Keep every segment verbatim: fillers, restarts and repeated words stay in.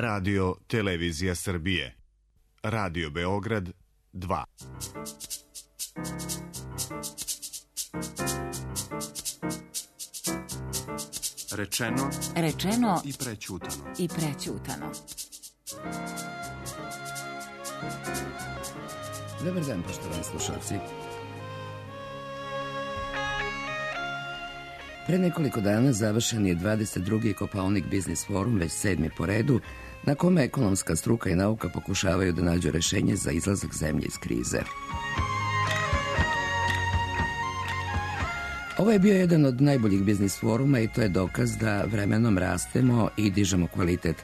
Radio Televizija Srbije. Radio Beograd dva. Rečeno, Rečeno i prećutano. i prećutano. Dobar dan, poštovani slušalci. Pre nekoliko dana završen je dvadeset drugi Kopaonik Biznis forum, već sedmi po redu, na kome ekonomska struka i nauka pokušavaju da nađu rešenje za izlazak zemlje iz krize. Ovo je bio jedan od najboljih biznis foruma i to je dokaz da vremenom rastemo i dižemo kvalitet.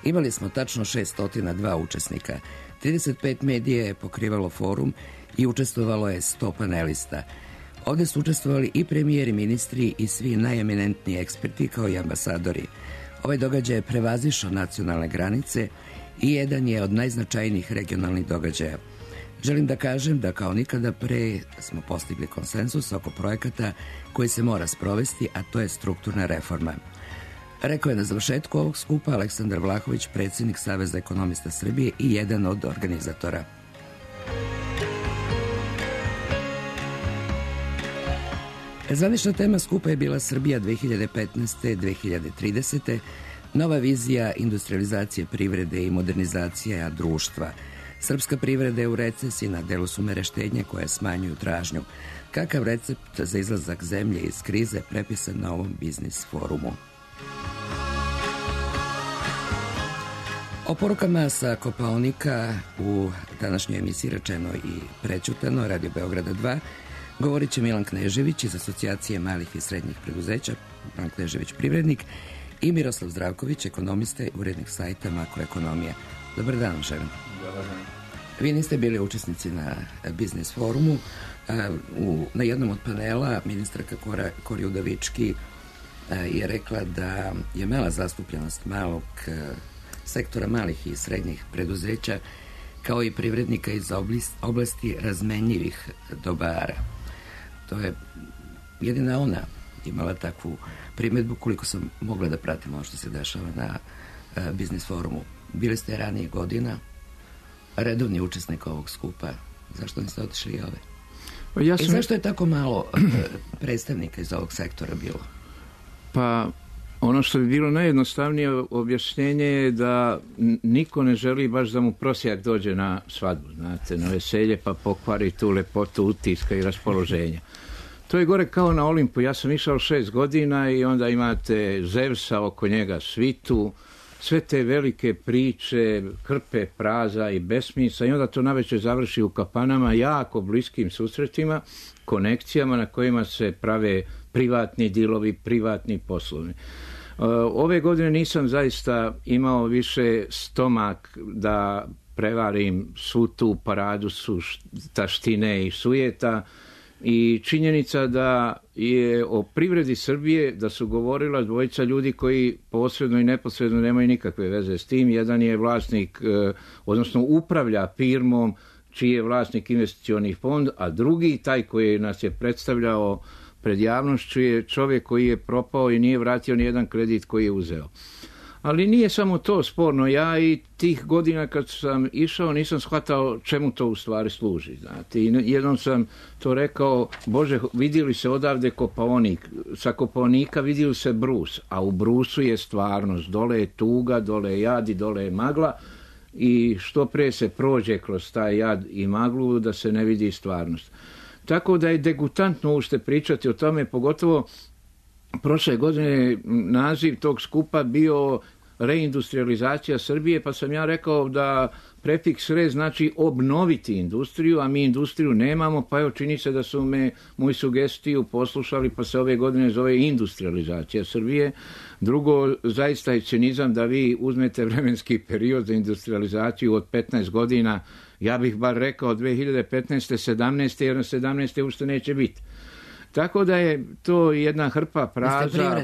Imali smo tačno šessto dva učesnika. trideset pet medija je pokrivalo forum i učestvovalo je sto panelista. Ovde su učestvovali i premijeri, ministri i svi najeminentniji eksperti kao i ambasadori. Ovaj događaj je prevazišao nacionalne granice i jedan je od najznačajnijih regionalnih događaja. Želim da kažem da kao nikada pre smo postigli konsenzus oko projekata koji se mora sprovesti, a to je strukturna reforma. Rekao je na završetku ovog skupa Aleksandar Vlahović, predsjednik Saveza ekonomista Srbije i jedan od organizatora. Zvanična tema skupa je bila Srbija dve hiljade petnaeste do dve hiljade tridesete. Nova vizija industrializacije privrede i modernizacija društva. Srpska privreda je u recesiji, na delu su mere štednje koje smanjuju tražnju. Kakav recept za izlazak zemlje iz krize prepisan na ovom biznis forumu? O porukama sa Kopaonika u današnjoj emisiji Rečeno i prećutano, Radio Beograda dva, govorit će Milan Knežević iz Asocijacije malih i srednjih preduzeća, Milan Knežević privrednik, i Miroslav Zdravković, ekonomista i urednik sajta Makroekonomija. Dobar dan, želim. Dobar dan. Vi niste bili učesnici na biznis forumu. U, na jednom od panela ministarka Kora, Kori Udovički je rekla da je mala zastupljenost malog sektora malih i srednjih preduzeća kao i privrednika iz oblasti razmenjivih dobara. To je jedina ona imala takvu primjedbu, koliko sam mogla da pratim ono što se dešava na uh, biznis forumu. Bili ste ranije godina redovni učesnik ovog skupa. Zašto niste otišli i ove? Ja sam... I zašto je tako malo uh, predstavnika iz ovog sektora bilo? Pa ono što bi bilo najjednostavnije objašnjenje je da niko ne želi baš da mu prosjak dođe na svadbu, znate, na veselje, pa pokvari tu lepotu utiska i raspoloženja. To je gore kao na Olimpu. Ja sam išao šest godina i onda imate Zevsa, oko njega svitu, sve te velike priče, krpe praza i besmisla, i onda to navečer završi u kafanama, jako bliskim susretima, konekcijama na kojima se prave privatni dilovi, privatni poslovni. Ove godine nisam zaista imao više stomak da prevarim svu tu paradu su taštine i sujeta, i činjenica da je o privredi Srbije da su govorila dvojica ljudi koji posredno i neposredno nemaju nikakve veze s tim. Jedan je vlasnik, odnosno upravlja firmom čiji je vlasnik investicioni fond, a drugi, taj koji nas je predstavljao pred javnošću, je čovjek koji je propao i nije vratio ni jedan kredit koji je uzeo. Ali nije samo to sporno. Ja i tih godina kad sam išao nisam shvatao čemu to u stvari služi. Znate. I jednom sam to rekao, Bože, vidjeli se odavde Kopaonik, sa Kopaonika vidjeli se brus, a u brusu je stvarnost. Dole je tuga, dole je jad i dole je magla, i što pre se prođe kroz taj jad i maglu da se ne vidi stvarnost. Tako da je degutantno ušte pričati o tome, pogotovo prošle godine naziv tog skupa bio reindustrializacija Srbije, pa sam ja rekao da prefiks re znači obnoviti industriju, a mi industriju nemamo, pa evo čini se da su me moju sugestiju poslušali, pa se ove godine zove industrializacija Srbije. Drugo, zaista je cinizam da vi uzmete vremenski period za industrializaciju od petnaest godina, ja bih bar rekao dve hiljade petnaeste sedamnaeste, jer na sedamnaeste ušte neće biti. Tako da je to jedna hrpa praza,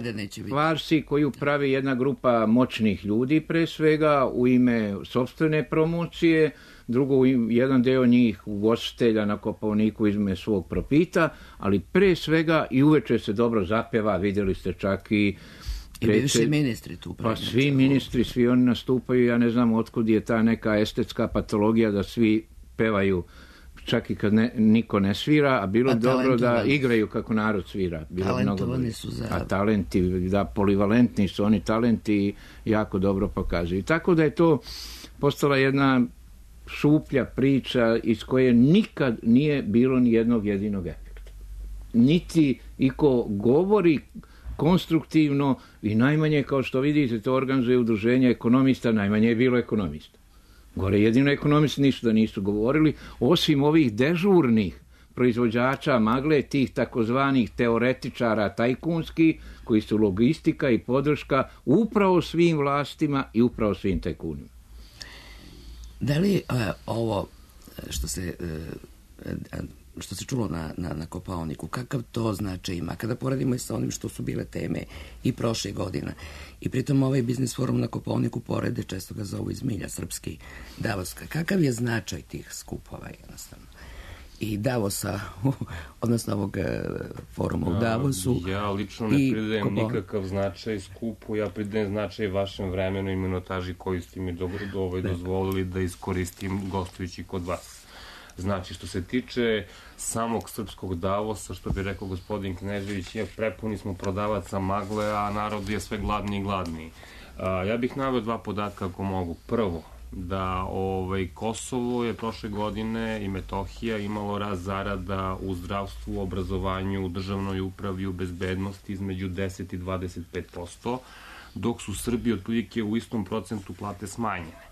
farsi koju pravi jedna grupa moćnih ljudi pre svega u ime sopstvene promocije, drugo jedan deo njih ugostitelja na Kopaoniku izme svog profita, ali pre svega i uveče se dobro zapeva, vidjeli ste čak i I bivši ministri tu. Pa svi ministri, svi oni nastupaju, ja ne znam otkud je ta neka estetska patologija da svi pevaju čak i kad ne, niko ne svira, a bilo a dobro da igraju kako narod svira. Bilo talentovani su za... A talenti, da, polivalentni su oni talenti i jako dobro pokazuju. Tako da je to postala jedna šuplja priča iz koje nikad nije bilo ni jednog jedinog efekta. Niti iko govori konstruktivno i najmanje, kao što vidite, to organizuje udruženje ekonomista, najmanje je bilo ekonomista. Gore jedino ekonomisti ništa da nisu govorili, osim ovih dežurnih proizvođača magle, tih takozvanih teoretičara tajkunskih, koji su logistika i podrška upravo svim vlastima i upravo svim tajkunima. Da li uh, ovo što se uh, što se čulo na, na, na Kopaoniku, kakav to značaj ima kada poredimo i sa onim što su bile teme i prošle godina, i pritom ovaj biznis forum na Kopaoniku porede, često ga zovu iz milja, srpski, Davoska, kakav je značaj tih skupova jednostavno i Davosa, odnosno ovog foruma u Davosu? Ja lično ne pridajem nikakav značaj skupu, ja pridajem značaj vašem vremenu i minutaži koju ste mi dobro ovaj dozvolili da iskoristim gostujući kod vas. Znači, što se tiče samog srpskog Davosa, što bi rekao gospodin Knežević, je prepuni smo prodavaca magle, a narod je sve gladniji i gladniji. A, ja bih naveo dva podatka ako mogu. Prvo, da ovaj, Kosovo je prošle godine i Metohija imalo rast zarada u zdravstvu, obrazovanju, u državnoj upravi, u bezbednosti između deset i dvadeset pet posto, dok su Srbiji otprilike u istom procentu plate smanjene.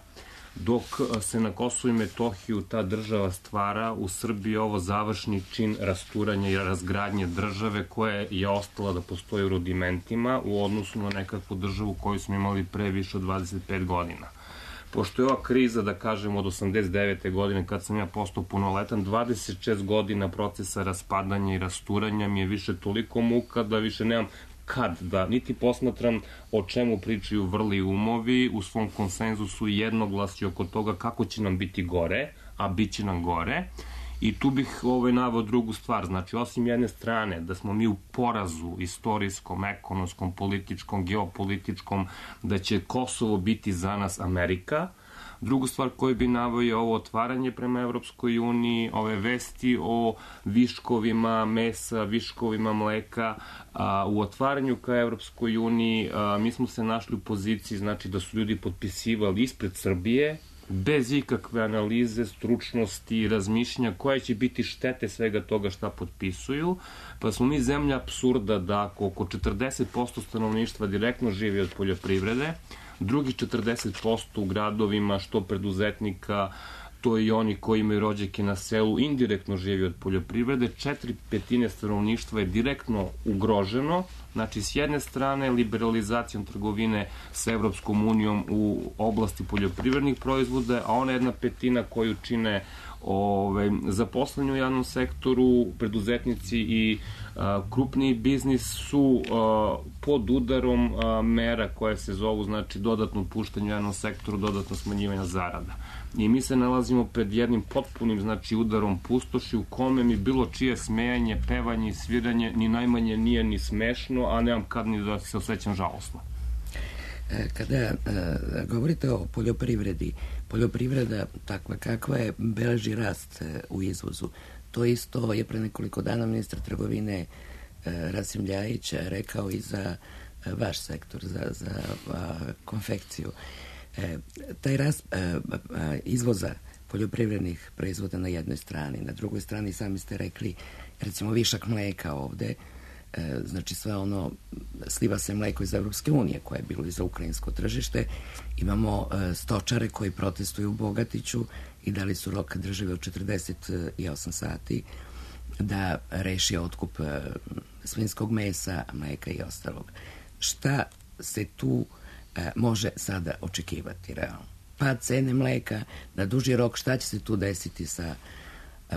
Dok se na Kosovu i Metohiju ta država stvara, u Srbiji ovo završni čin rasturanja i razgradnje države koja je ostala da postoji u rudimentima u odnosu na nekakvu državu koju smo imali pre više od dvadeset pet godina. Pošto je ova kriza, da kažem, od osamdeset devete godine, kad sam ja postao punoletan, dvadeset šest godina procesa raspadanja i rasturanja mi je više toliko muka da više nemam kad da, niti posmatram o čemu pričaju vrli umovi, u svom konsenzusu jednoglasju oko toga kako će nam biti gore, a bit će nam gore. I tu bih ovaj, naveo drugu stvar, znači osim jedne strane da smo mi u porazu istorijskom, ekonomskom, političkom, geopolitičkom, da će Kosovo biti za nas Amerika. Drugu stvar koju bi naveo je ovo otvaranje prema Evropskoj uniji, ove vesti o viškovima mesa, viškovima mleka. A, u otvaranju ka Evropskoj uniji a, mi smo se našli u poziciji, znači da su ljudi potpisivali ispred Srbije, bez ikakve analize, stručnosti i razmišljanja koje će biti štete svega toga šta potpisuju, pa smo mi zemlja apsurda da ako oko četrdeset posto stanovništva direktno živi od poljoprivrede, drugih četrdeset posto u gradovima, što preduzetnika, to i oni koji imaju rođake na selu, indirektno živi od poljoprivrede, četiri petine stanovništva je direktno ugroženo. Znači, s jedne strane, liberalizacijom trgovine sa Evropskom unijom u oblasti poljoprivrednih proizvoda, a ona jedna petina koju čine ove, zaposleni u javnom sektoru, preduzetnici i a, krupniji biznis su a, pod udarom a, mera koje se zovu, znači, dodatno puštanje u javnom sektoru, dodatno smanjivanja zarada. I mi se nalazimo pred jednim potpunim, znači, udarom pustoši u kome mi bilo čije smejanje, pevanje i sviranje ni najmanje nije ni smešno, a nemam kad ni da se osjećam žalosno. Kada e, govorite o poljoprivredi, poljoprivreda takva kakva je, beleži rast e, u izvozu. To isto je pre nekoliko dana ministar trgovine e, Rasim Ljajić rekao i za e, vaš sektor, za, za a, konfekciju. E, taj rast e, a, izvoza poljoprivrednih proizvoda na jednoj strani, na drugoj strani sami ste rekli, recimo višak mleka ovde, e, znači sve ono, sliva se mleko iz Evropske unije koje je bilo i za ukrajinsko tržište, imamo e, stočare koji protestuju u Bogatiću i dali su rok države od četrdeset osam sati da reši otkup e, svinjskog mesa, mleka i ostalog. Šta se tu e, može sada očekivati realno? Pa cene mleka na duži rok, šta će se tu desiti sa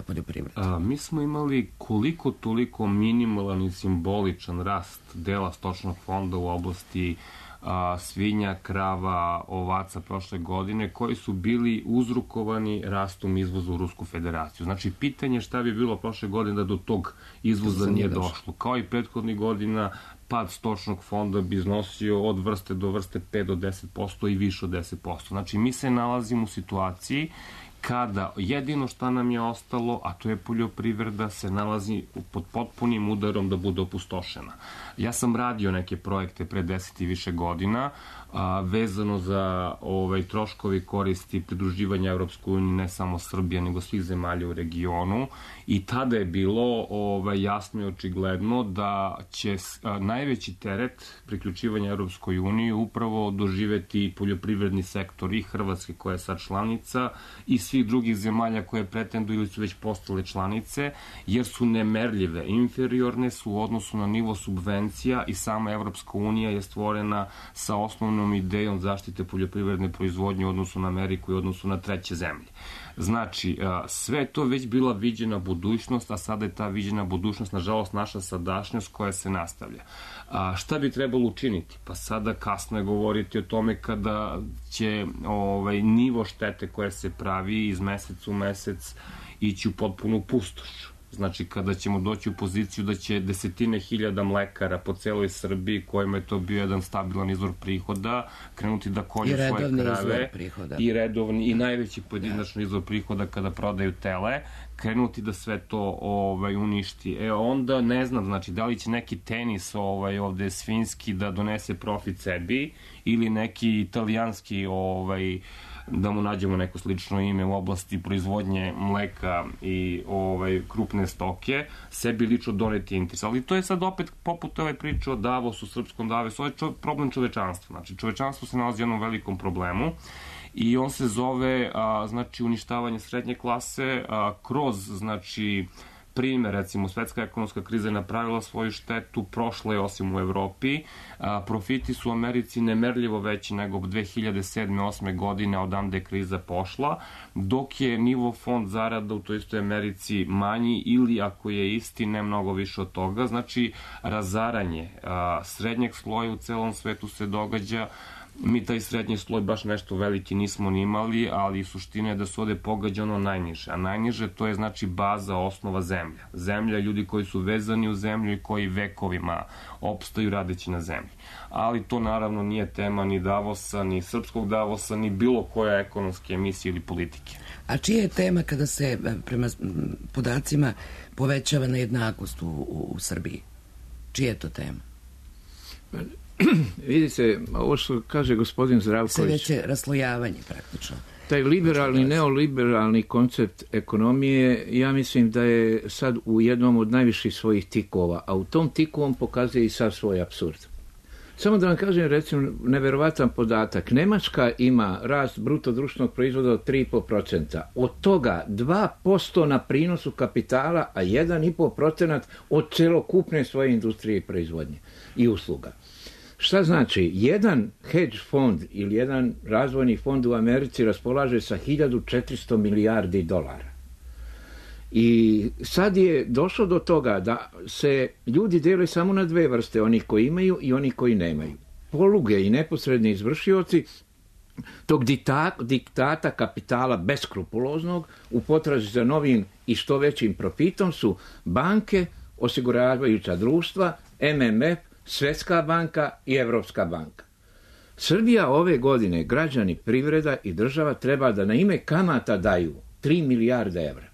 poljoprivredom? A, mi smo imali koliko toliko minimalan i simboličan rast dela stočnog fonda u oblasti a, svinja, krava, ovaca prošle godine, koji su bili uzrokovani rastom izvoza u Rusku federaciju. Znači, pitanje šta bi bilo prošle godine da do tog izvoza nije došlo. Kao i prethodnih godina, pad stočnog fonda bi iznosio od vrste do vrste pet do deset posto i više od deset posto. Znači, mi se nalazimo u situaciji kada jedino šta nam je ostalo, a to je poljoprivreda, se nalazi pod potpunim udarom da bude opustošena. Ja sam radio neke projekte pre deset i više godina, a, vezano za ovaj, troškovi koristi pridruživanja Evropskoj uniji, ne samo Srbija, nego svih zemalja u regionu, i tada je bilo ovaj, jasno i očigledno da će a, najveći teret priključivanja Evropskoj uniji upravo doživeti poljoprivredni sektor i Hrvatske, koja je sad članica, i svih drugih zemalja koje pretenduju ili su već postale članice, jer su nemerljive, inferiorne su u odnosu na nivo subvencija, i sama Evropska unija je stvorena sa osnovnom idejom zaštite poljoprivredne proizvodnje u odnosu na Ameriku i u odnosu na treće zemlje. Znači, sve je to već bila viđena budućnost, a sada je ta viđena budućnost, nažalost, naša sadašnjost koja se nastavlja. A šta bi trebalo učiniti? Pa sada kasno je govoriti o tome kada će ovaj, nivo štete koje se pravi iz meseca u mesec ići u potpunu pustoš. Znači, kada ćemo doći u poziciju da će desetine hiljada mlekara po celoj Srbiji, kojima je to bio jedan stabilan izvor prihoda, krenuti da kolju svoje krave i redovni i najveći pojedinačni izvor prihoda kada prodaju tele, krenuti da sve to ovaj, uništi. E onda ne znam, znači, da li će neki tenis ovaj, ovde svinjski da donese profit sebi, ili neki italijanski ovaj, da mu nađemo neko slično ime u oblasti proizvodnje mleka i ovaj, krupne stoke, sebi lično doneti interes. Ali to je sad opet poput ove priče o Davosu, srpskom Davosu, ovo je čo, problem čovečanstva. Znači, čovečanstvo se nalazi u jednom velikom problemu i on se zove a, znači, uništavanje srednje klase a, kroz, znači, primer, recimo, svetska ekonomska kriza je napravila svoju štetu, prošla je osim u Evropi. A, profiti su u Americi nemerljivo veći nego dve hiljade sedme osme godine, odande je kriza pošla, dok je nivo fond zarada u toj istoj Americi manji, ili ako je isti, ne mnogo više od toga. Znači, razaranje a, srednjeg sloja u celom svetu se događa. Mi taj srednji sloj baš nešto veliki nismo ni imali, ali suština je da se ovde pogađa ono najniže. A najniže to je znači baza, osnova zemlja. Zemlja, ljudi koji su vezani u zemlju i koji vekovima opstaju radeći na zemlji. Ali to naravno nije tema ni Davosa, ni srpskog Davosa, ni bilo koje ekonomske emisije ili politike. A čija je tema kada se prema podacima povećava nejednakost u, u, u Srbiji? Čija je to tema? Vidite, ovo što kaže gospodin Zdravković... Sve veće raslojavanje praktično. Taj liberalni, neoliberalni koncept ekonomije, ja mislim da je sad u jednom od najviših svojih tikova, a u tom tiku on pokazuje i sad svoj apsurd. Samo da vam kažem, recimo, neverovatan podatak. Nemačka ima rast bruto društvenog proizvoda od tri i po procenta. Od toga dva posto na prinosu kapitala, a jedan i po procenat od celokupne svoje industrije i proizvodnje i usluga. Šta znači? Jedan hedge fond ili jedan razvojni fond u Americi raspolaže sa hiljadu četiristo milijardi dolara. I sad je došlo do toga da se ljudi dele samo na dve vrste, oni koji imaju i oni koji nemaju. Poluge i neposredni izvršioci tog diktata, diktata kapitala beskrupuloznog u potrazi za novim i što većim profitom su banke, osiguravajuća društva, M M F, Svetska banka i Evropska banka. Srbija ove godine, građani, privreda i država treba da na ime kamata daju tri milijarde evra.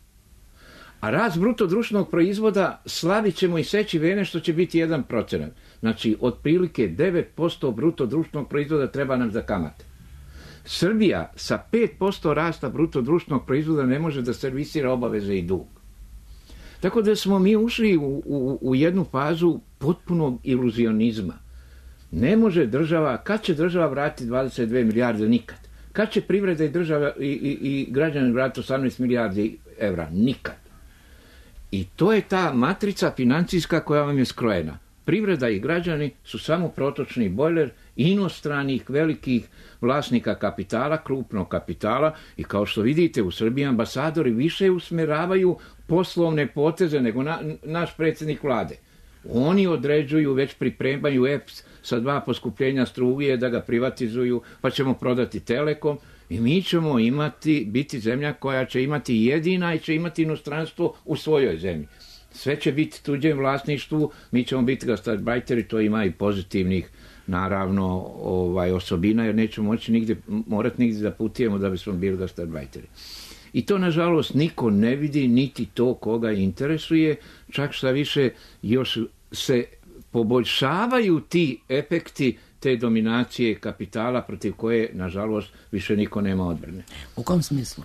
A rast bruto društvenog proizvoda slavit ćemo i seći vene što će biti jedan procenat. Znači, otprilike devet posto bruto društvenog proizvoda treba nam za kamate. Srbija sa pet posto rasta bruto društvenog proizvoda ne može da servisira obaveze i dug. Tako da smo mi ušli u, u, u jednu fazu potpunog iluzionizma. Ne može država, kad će država vratiti dvadeset dve milijarde? Nikad. Kad će privreda i država i, i, i građani vratiti osamnaest milijardi evra? Nikad. I to je ta matrica financijska koja vam je skrojena. Privreda i građani su samo protočni bojler inostranih velikih vlasnika kapitala, krupnog kapitala, i kao što vidite u Srbiji ambasadori više usmeravaju poslovne poteze nego na, naš predsjednik vlade. Oni određuju, već pripremaju E P S sa dva poskupljenja struje da ga privatizuju, pa ćemo prodati Telekom i mi ćemo imati, biti zemlja koja će imati jedina i će imati inostranstvo u svojoj zemlji. Sve će biti tuđem vlasništvu, mi ćemo biti gastarbajteri, to ima i pozitivnih naravno ovaj, osobina, jer nećemo moći nigdje, morati nigdje da putujemo da bismo bili gastarbajteri. I to, nažalost, niko ne vidi, niti to koga interesuje, čak šta više još se poboljšavaju ti efekti te dominacije kapitala protiv koje, nažalost, više niko nema odbrane. U kom smislu?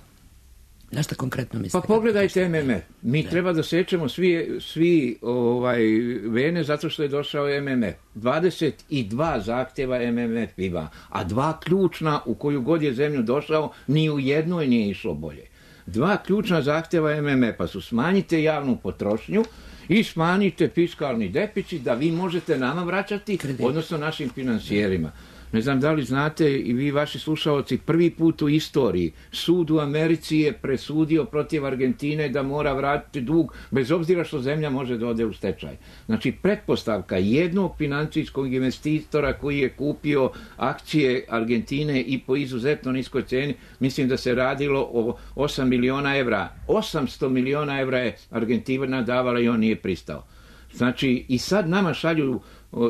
Na šta konkretno mislite? Pa pogledajte M M F. Mi da. treba da sečemo svi, svi ovaj, vene zato što je došao M M F. dvadeset dva zahtjeva M M F ima, a dva ključna u koju god je zemlju došao, ni u jednoj nije išlo bolje. Dva ključna zahtjeva M M F-a su smanjite javnu potrošnju i smanjite fiskalni deficit da vi možete nama vraćati, kredit, odnosno našim financijerima. Ne znam da li znate i vi vaši slušalci, prvi put u istoriji sud u Americi je presudio protiv Argentine da mora vratiti dug bez obzira što zemlja može da ode u stečaj. Znači pretpostavka jednog financijskog investitora koji je kupio akcije Argentine i po izuzetno niskoj ceni, mislim da se radilo o osam miliona evra. osamsto miliona evra je Argentina davala i on nije pristao. Znači i sad nama šalju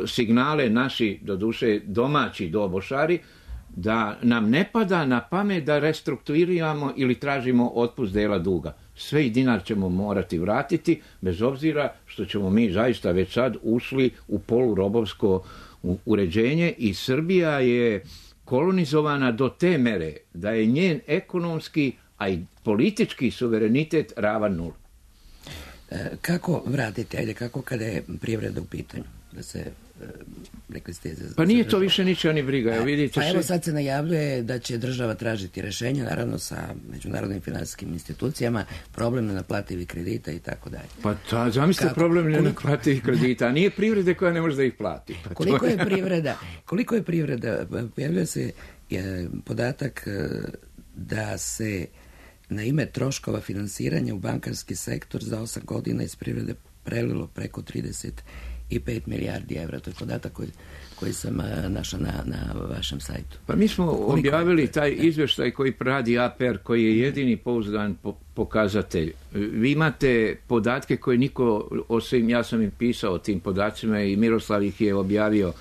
signale naši, doduše domaći dobošari, da nam ne pada na pamet da restrukturiramo ili tražimo otpust dela duga. Sve i dinar ćemo morati vratiti, bez obzira što ćemo mi zaista već sad ušli u polurobovsko uređenje i Srbija je kolonizovana do te mere da je njen ekonomski, a i politički suverenitet ravan nul. Kako vratiti, ajde, kako kada je privreda u pitanju? Da se, rekli ste... Pa nije to više ničega ni briga. Evo, vidite, pa evo sad se najavljuje da će država tražiti rješenje, naravno sa međunarodnim financijskim institucijama, problem nenaplativih kredita i tako dalje. Pa ta, zamislite problem nenaplativih kredita, a nije privrede koja ne može da ih plati. Pa koliko je privreda, koliko je privreda, pojavljuje se je, podatak da se na ime troškova finansiranja u bankarski sektor za osam godina iz privrede prelilo preko trideset i pet milijardi evra. To je podatak koji, koji sam našao na, na vašem sajtu. Pa mi smo koliko objavili je? taj izvještaj koji radi A P R, koji je jedini pouzdan po, pokazatelj. Vi imate podatke koje niko, osim ja sam im pisao o tim podacima i Miroslav ih je objavio.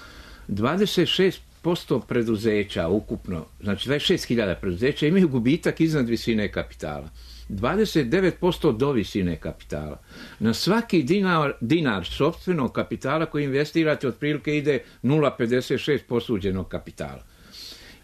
dvadeset šest posto preduzeća ukupno, znači dvadeset šest hiljada preduzeća imaju gubitak iznad visine kapitala. dvadeset devet posto do visine kapitala. Na svaki dinar, dinar sopstvenog kapitala koji investirate otprilike ide nula zarez pedeset šest posuđenog kapitala.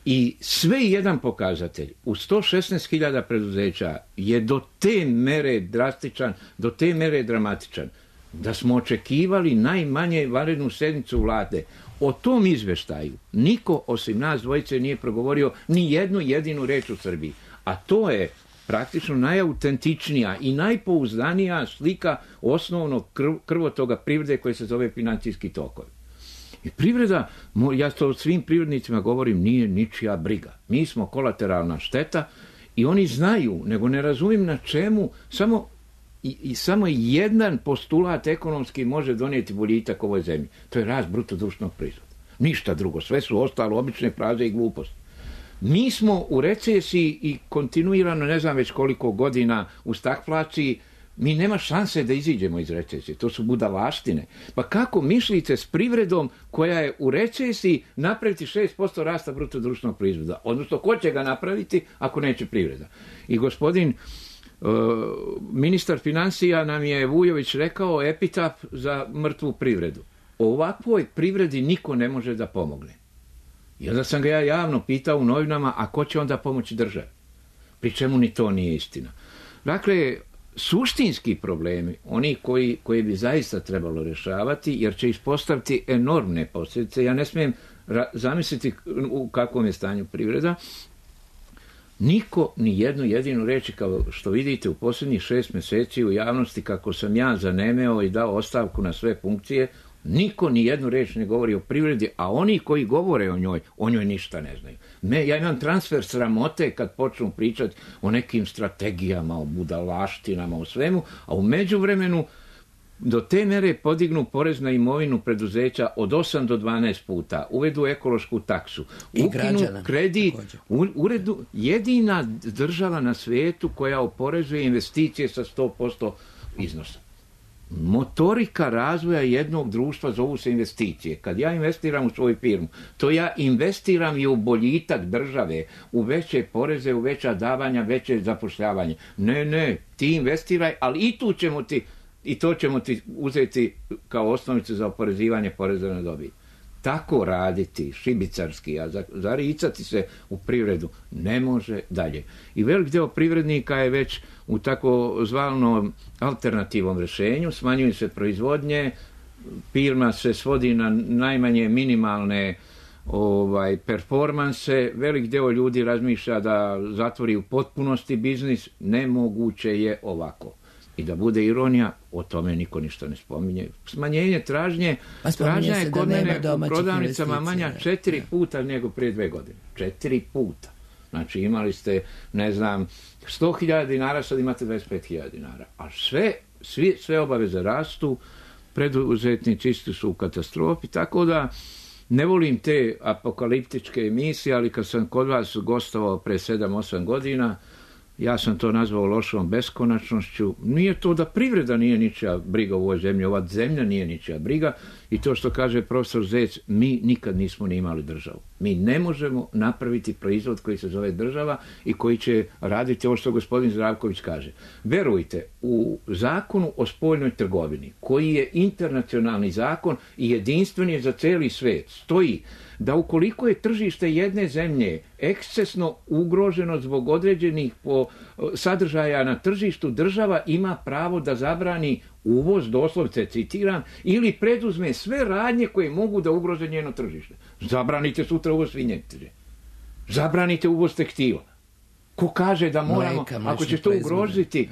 I sve jedan pokazatelj u sto šesnaest hiljada preduzeća je do te mere drastičan, do te mere dramatičan, da smo očekivali najmanje vanrednu sednicu vlade. O tom izveštaju niko osim nas dvojice nije progovorio ni jednu jedinu reč u Srbiji. A to je praktično najautentičnija i najpouzdanija slika osnovnog krv, krvotoga privrede koje se zove financijski tokovi. I privreda, ja to svim privrednicima govorim, nije ničija briga. Mi smo kolateralna šteta i oni znaju, nego ne razumijem na čemu, samo I, i samo jedan postulat ekonomski može donijeti boljitak ovoj zemlji. To je rast bruto društvenog proizvoda. Ništa drugo. Sve su ostalo obične fraze i gluposti. Mi smo u recesiji i kontinuirano, ne znam već koliko godina u stagflaciji, mi nema šanse da iziđemo iz recesije. To su budalaštine. Pa kako mislite s privredom koja je u recesiji napraviti šest posto rasta bruto društvenog proizvoda? Odnosno, ko će ga napraviti ako neće privreda? I gospodin Uh, ministar financija nam je Vujović rekao epitaf za mrtvu privredu. O ovakvoj privredi niko ne može da pomogne. I onda sam ga ja javno pitao u novinama, a ko će onda pomoći državi? Pri čemu ni to nije istina. Dakle, suštinski problemi, oni koji, koji bi zaista trebalo rješavati, jer će ispostaviti enormne posljedice. Ja ne smijem ra- zamisliti u kakvom je stanju privreda. Niko ni jednu jedinu reči, kao što vidite u posljednjih šest mjeseci u javnosti, kako sam ja zanemeo i dao ostavku na sve funkcije, niko ni jednu reč ne govori o privredi, a oni koji govore o njoj, o njoj ništa ne znaju. Me, ja imam transfer sramote kad počnu pričati o nekim strategijama, o budalaštinama, o svemu, a u međuvremenu do te mere podignu porez na imovinu preduzeća od osam do dvanaest puta, uvedu ekološku taksu, I ukinu građana, kredit, u, uredu, jedina država na svijetu koja oporezuje investicije sa sto posto iznosa. Motorika razvoja jednog društva zovu se investicije. Kad ja investiram u svoju firmu, to ja investiram i u boljitak države, u veće poreze, u veća davanja, veće zapošljavanje. Ne, ne, ti investiraj, ali i tu ćemo ti, i to ćemo ti uzeti kao osnovicu za oporezivanje poreza na dobit. Tako raditi šibicarski, a zaricati se u privredu ne može dalje. I velik deo privrednika je već u tako zvanom alternativnom rješenju, smanjuju se proizvodnje, firma se svodi na najmanje minimalne ovaj, performanse, velik deo ljudi razmišlja da zatvori u potpunosti biznis, nemoguće je ovako. I da bude ironija, o tome niko ništa ne spominje. Smanjenje tražnje, pa tražnja je kod mene u prodavnicama manja da, četiri da. puta nego prije dve godine. Četiri puta. Znači imali ste, ne znam, sto hiljada dinara, sad imate dvadeset pet hiljada dinara. A sve, svi, sve obaveze rastu, preduzetnici isti su u katastrofi, tako da ne volim te apokaliptičke emisije, ali kad sam kod vas gostovao pre sedam osam godina, ja sam to nazvao lošom beskonačnošću. Nije to da privreda nije ničija briga u ovoj zemlji, ova zemlja nije ničija briga i to što kaže profesor Zec, mi nikad nismo ni imali državu. Mi ne možemo napraviti proizvod koji se zove država i koji će raditi ovo što gospodin Zdravković kaže. Verujte, u zakonu o spoljnoj trgovini, koji je internacionalni zakon i jedinstven je za cijeli svijet, stoji da ukoliko je tržište jedne zemlje ekscesno ugroženo zbog određenih po sadržaja na tržištu, država ima pravo da zabrani uvoz, doslovce citiram, ili preduzme sve radnje koje mogu da ugroze njeno tržište. Zabranite sutra uvoz svinjetine. Zabranite uvoz tekstila. Ko kaže da moramo, Mleka, ako će to ugroziti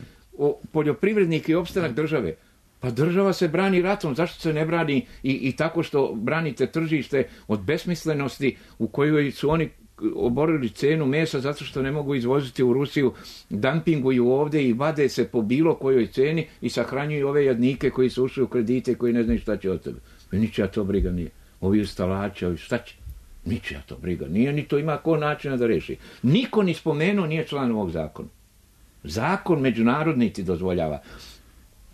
poljoprivrednike i opstanak države, pa država se brani ratom, zašto se ne brani i, i tako što branite tržište od besmislenosti u kojoj su oni oborili cenu mesa zato što ne mogu izvoziti u Rusiju, dumpinguju ovdje i vade se po bilo kojoj ceni i sahranjuju ove jadnike koji su ušli u kredite koji ne znaju šta će od tebe. Ničija to briga nije. Ovi ustalači, ovi šta će? Ničija to briga nije, ni to ima ko načina da reši. Niko ni spomenuo nije član ovog zakona. Zakon međunarodni ti dozvoljava.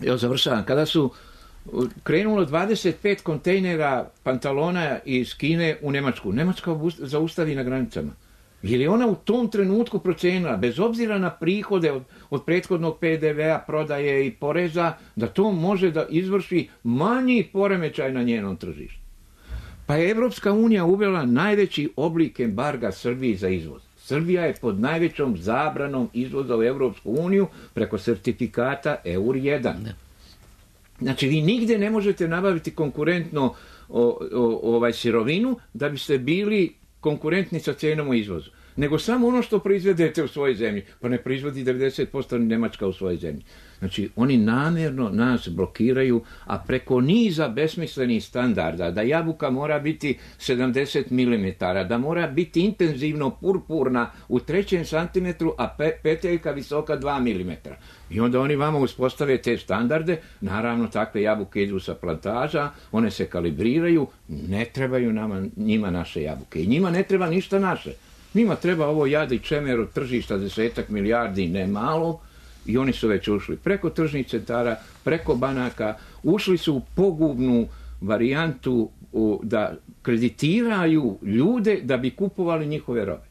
Evo završavam. Kada su krenulo dvadeset pet kontejnera pantalona iz Kine u Njemačku, Njemačka zaustavi na granicama. Jer je ona u tom trenutku procenila, bez obzira na prihode od, od prethodnog P D V-a, prodaje i poreza, da to može da izvrši manji poremećaj na njenom tržištu. Pa je Evropska unija uvela najveći oblik embarga Srbiji za izvoz. Srbija je pod najvećom zabranom izvoza u Evropsku uniju preko sertifikata E U R jedan. Znači, vi nigde ne možete nabaviti konkurentno o, o, ovaj sirovinu da biste bili konkurentni sa cijenom u izvozu. Nego samo ono što proizvedete u svojoj zemlji. Pa ne proizvodi devedeset posto Njemačka u svojoj zemlji. Znači, oni namjerno nas blokiraju, a preko niza besmislenih standarda, da jabuka mora biti sedamdeset milimetara, da mora biti intenzivno purpurna u trećem santimetru, a pe, peteljka visoka dva milimetra. I onda oni vama uspostave te standarde, naravno takve jabuke idu sa plantaža, one se kalibriraju, ne trebaju nama, njima naše jabuke. I njima ne treba ništa naše. Njima treba ovo jad i čemer od tržišta desetak milijardi, ne malo, i oni su već ušli preko tržnih centara, preko banaka, ušli su u pogubnu varijantu u, da kreditiraju ljude da bi kupovali njihove robe.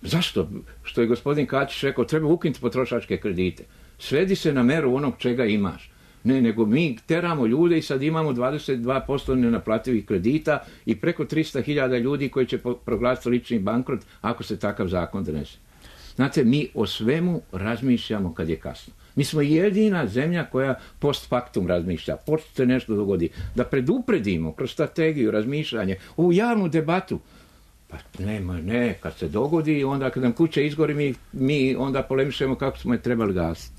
Zašto? Što je gospodin Kačić rekao, treba ukinuti potrošačke kredite. Svedi se na meru onog čega imaš. Ne, nego mi teramo ljude i sad imamo dvadeset dva posto nenaplativih kredita i preko tristo hiljada ljudi koji će proglasiti lični bankrot ako se takav zakon donese. Znate, mi o svemu razmišljamo kad je kasno. Mi smo jedina zemlja koja post factum razmišlja, pošto se nešto dogodi. Da predupredimo kroz strategiju, razmišljanje, ovu javnu debatu. Pa nema, ne, kad se dogodi, onda kad nam kuća izgori, mi, mi onda polemišemo kako smo je trebali gasiti.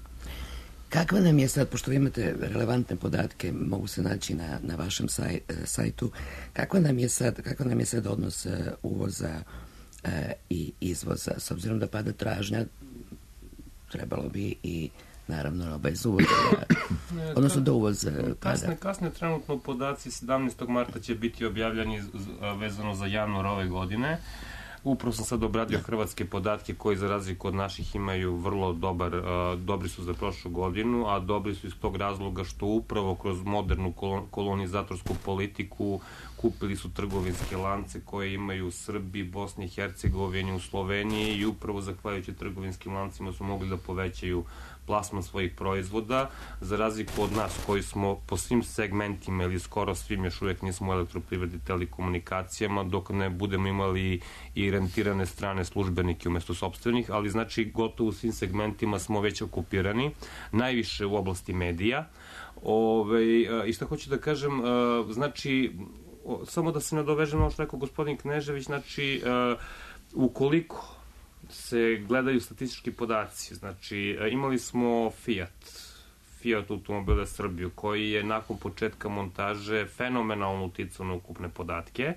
Kakva nam je sad, pošto vi imate relevantne podatke, mogu se naći na, na vašem saj, sajtu, kakva nam je sad, kakva nam je sad odnos uvoza i izvoza, s obzirom da pada tražnja, trebalo bi i naravno bez uvoza, odnosno do uvoza pada. Kasne, kasne trenutno podaci sedamnaestog marta će biti objavljeni vezano za januar ove godine. Upravo sam sad obradio hrvatske podatke koji za razliku od naših imaju vrlo dobar, dobri su za prošlu godinu, a dobri su iz tog razloga što upravo kroz modernu kolonizatorsku politiku kupili su trgovinske lance koje imaju u Srbiji, Bosni i Hercegovini, u Sloveniji i upravo zahvaljujući trgovinskim lancima su mogli da povećaju plasman svojih proizvoda, za razliku od nas koji smo po svim segmentima ili skoro svim još uvijek nismo u elektroprivredi telekomunikacijama, dok ne budemo imali i rentirane strane službenike umjesto sopstvenih, ali znači gotovo u svim segmentima smo već okupirani, najviše u oblasti medija. Ove, I što hoću da kažem, znači, samo da se nadovežem ono što rekao gospodin Knežević, znači, ukoliko se gledaju statistički podaci. Znači, imali smo Fiat, Fiat automobile Srbiju, koji je nakon početka montaže fenomenalno uticao na ukupne podatke.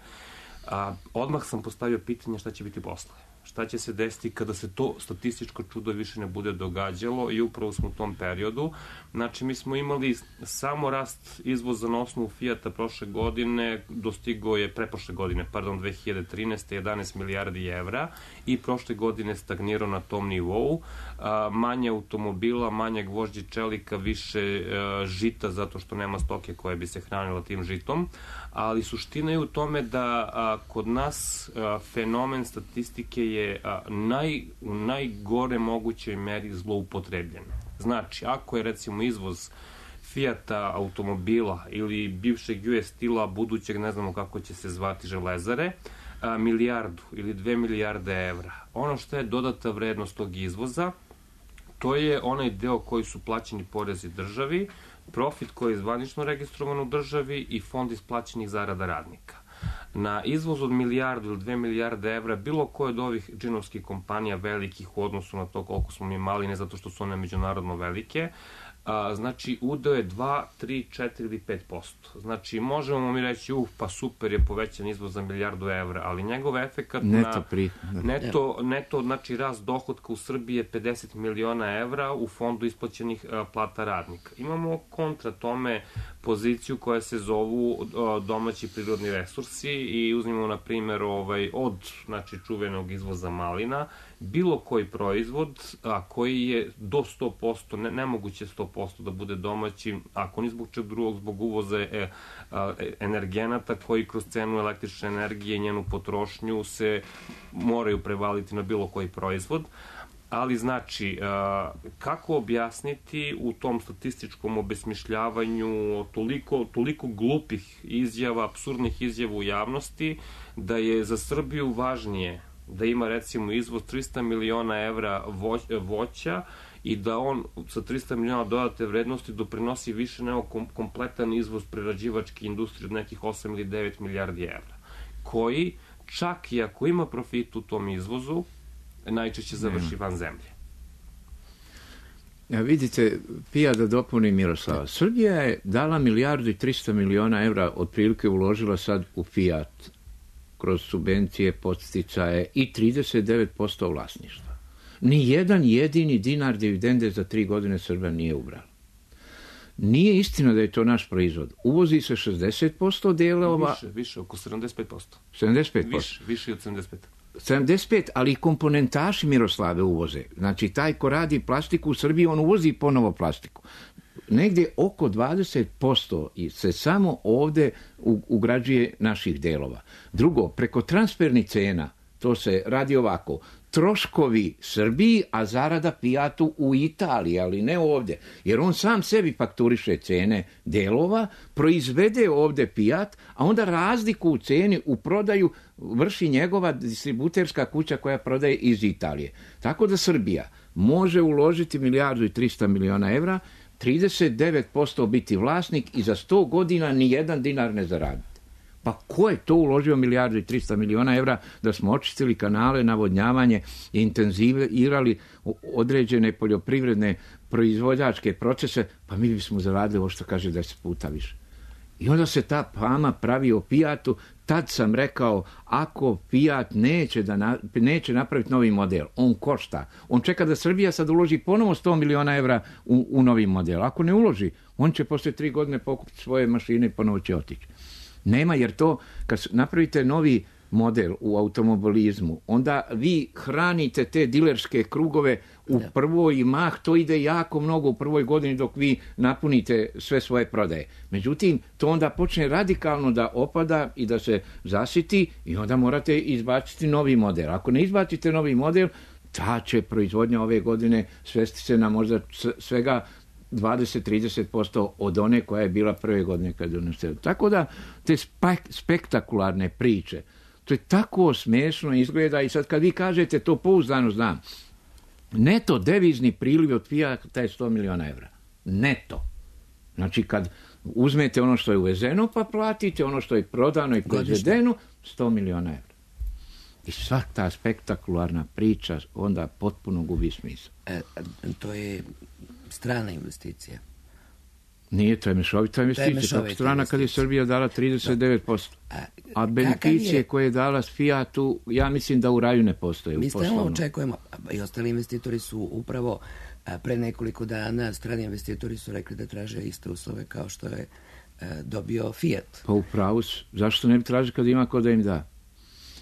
A, odmah sam postavio pitanje šta će biti posle. Šta će se desiti kada se to statističko čudo više ne bude događalo i upravo smo u tom periodu. Znači, mi smo imali samo rast izvoza na osnovu Fijata prošle godine, dostigo je preprošle godine, pardon, dve hiljade trinaeste. jedanaest milijardi evra i prošle godine stagnirao na tom nivou. A, manje automobila, manje gvožđi čelika, više a, žita zato što nema stoke koja bi se hranila tim žitom. Ali suština je u tome da a, kod nas a, fenomen statistike je a, naj, u najgore mogućoj meri zloupotrebljen. Znači, ako je recimo izvoz Fijata automobila ili bivšeg U S Steel-a, budućeg ne znamo kako će se zvati železare, a, milijardu ili dve milijarde evra. Ono što je dodata vrednost tog izvoza, to je onaj deo koji su plaćeni porezi državi, profit koji je zvanično registrovan u državi i fond isplaćenih zarada radnika. Na izvoz od milijardu ili dve milijarde evra bilo koje od ovih džinovskih kompanija velikih u odnosu na to koliko smo mi mali, ne zato što su one međunarodno velike, a, znači udeo je dva, tri, četiri ili pet posto. Znači možemo mi reći, uh, pa super je povećan izvoz za milijardu evra, ali njegov efekat neto na pri... neto, neto, znači rast dohodka u Srbiji je pedeset miliona evra u fondu isplaćenih a, plata radnika. Imamo kontra tome poziciju koja se zovu a, domaći prirodni resursi i uzmimo na primjer ovaj, od znači, čuvenog izvoza malina, bilo koji proizvod a, koji je do sto posto, ne, nemoguće sto posto da bude domaći, ako ni zbog čeg drugog, zbog uvoza e, a, energenata koji kroz cenu električne energije i njenu potrošnju se moraju prevaliti na bilo koji proizvod. Ali znači, a, kako objasniti u tom statističkom obesmišljavanju toliko, toliko glupih izjava, apsurdnih izjava u javnosti, da je za Srbiju važnije da ima recimo izvoz trista miliona evra voća i da on sa trista miliona dodate vrednosti doprinosi više nego kompletan izvoz prerađivačke industrije od nekih osam ili devet milijardi evra, koji čak i ako ima profit u tom izvozu, najčešće završi van zemlje. Ja, vidite, Pija da dopuni Miroslava. Srbija je dala milijardu i trista miliona evra, otprilike uložila sad u Fiat, kroz subvencije, podsticaje i trideset devet posto vlasništva. Ni jedan jedini dinar dividende za tri godine Srbija nije ubrala. Nije istina da je to naš proizvod. Uvozi se šezdeset posto delova... Više, više, oko sedamdeset pet posto. sedamdeset pet posto? Više, više od sedamdeset pet. sedamdeset pet, ali i komponentaši Miroslave uvoze. Znači, taj ko radi plastiku u Srbiji, on uvozi ponovo plastiku. Negdje oko dvadeset posto se samo ovdje ugrađuje naših delova. Drugo, preko transfernih cena, to se radi ovako, troškovi Srbiji, a zarada Fijatu u Italiji, ali ne ovdje. Jer on sam sebi fakturiše cene delova, proizvede ovdje Fijat, a onda razliku u ceni u prodaju vrši njegova distributerska kuća koja prodaje iz Italije. Tako da Srbija može uložiti milijardu i trista miliona evra, trideset devet posto biti vlasnik i za sto godina ni jedan dinar ne zaraditi. Pa ko je to uložio milijardu i trista miliona evra da smo očistili kanale, navodnjavanje i intenzivirali određene poljoprivredne proizvođačke procese, pa mi bismo zaradili ovo što kaže deset puta više. I onda se ta fama pravi o Fijatu. Tad sam rekao, ako Fijat neće, da na, neće napraviti novi model, on košta. On čeka da Srbija sad uloži ponovo sto miliona evra u, u novi model. Ako ne uloži, on će poslije tri godine pokupiti svoje mašine i ponovo će otići. Nema, jer to, kad napravite novi model u automobilizmu, onda vi hranite te dilerske krugove u prvoj mah, to ide jako mnogo u prvoj godini dok vi napunite sve svoje prodaje. Međutim, to onda počne radikalno da opada i da se zasiti i onda morate izbaciti novi model. Ako ne izbacite novi model, ta će proizvodnja ove godine svesti se na možda svega dvadeset do trideset posto od one koja je bila prve godine kad je donesena. Tako da te spek- spektakularne priče, to je tako smiješno izgleda i sad kad vi kažete, to pouzdano znam, neto devizni priliv od Fijata je sto miliona evra. Neto. Znači kad uzmete ono što je uvezeno pa platite ono što je prodano i proizvedeno, sto miliona evra. I sva ta spektakularna priča onda potpuno gubi smisao. E, to je strana investicija. Nije, to je mešovita investicija. Tako strana kad je Srbija dala trideset devet posto. A, a beneficije je... koje je dala Fijatu, ja mislim da u raju ne postoje. Mi stalno očekujemo, i ostali investitori su upravo a, pre nekoliko dana, strani investitori su rekli da traže iste uslove kao što je a, dobio Fijat. Pa upravo su. Zašto ne bi traži kad ima ko da im da?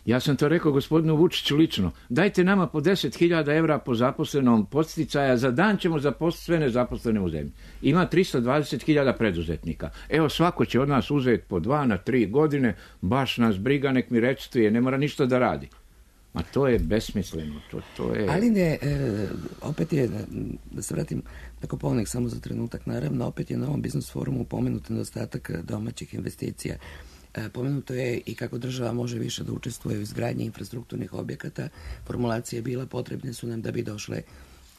Ja sam to rekao gospodinu Vučiću lično. Dajte nama po deset hiljada evra po zaposlenom podsticaja, za dan ćemo zaposliti sve nezaposlene u zemlji. Ima tristo dvadeset hiljada preduzetnika. Evo svako će od nas uzeti po dva na tri godine, baš nas briga, nek mi recituje, ne mora ništa da radi. Ma to je besmisleno. To, to je... Ali ne, e, opet je, da se vratim na Kopovnik samo za trenutak, naravno, opet je na ovom biznis forumu pomenut nedostatak domaćih investicija. Pomenuto je i kako država može više da učestvuje u izgradnji infrastrukturnih objekata. Formulacija je bila, potrebne su nam da bi došle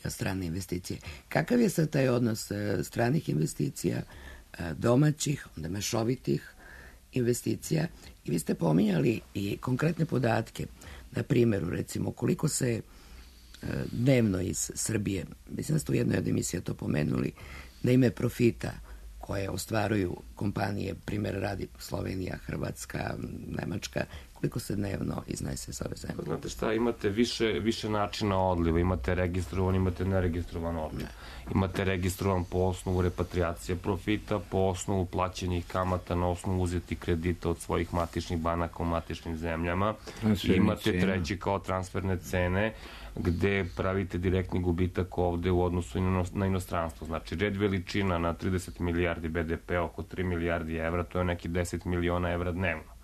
strane investicije. Kakav je sad taj odnos stranih investicija, domaćih, onda mešovitih investicija? I vi ste pominjali i konkretne podatke, na primjeru, recimo, koliko se dnevno iz Srbije, mislim da ste u jednoj od emisija to pomenuli, na ime profita koje ostvaruju kompanije, primjer radi Slovenija, Hrvatska, Nemačka, koliko se dnevno iznese s ove zemlje? Znate šta, imate više, više načina odliva, imate registrovan, imate neregistrovan odliv. Imate registrovan po osnovu repatriacije profita, po osnovu plaćenih kamata na osnovu uzeti kredita od svojih matičnih banaka u matičnim zemljama. I imate treći kao transferne cene, gde pravite direktni gubitak ovde u odnosu na inostranstvo. Znači, red veličina na trideset milijardi be de pe, oko tri milijardi evra, to je neki deset miliona evra dnevno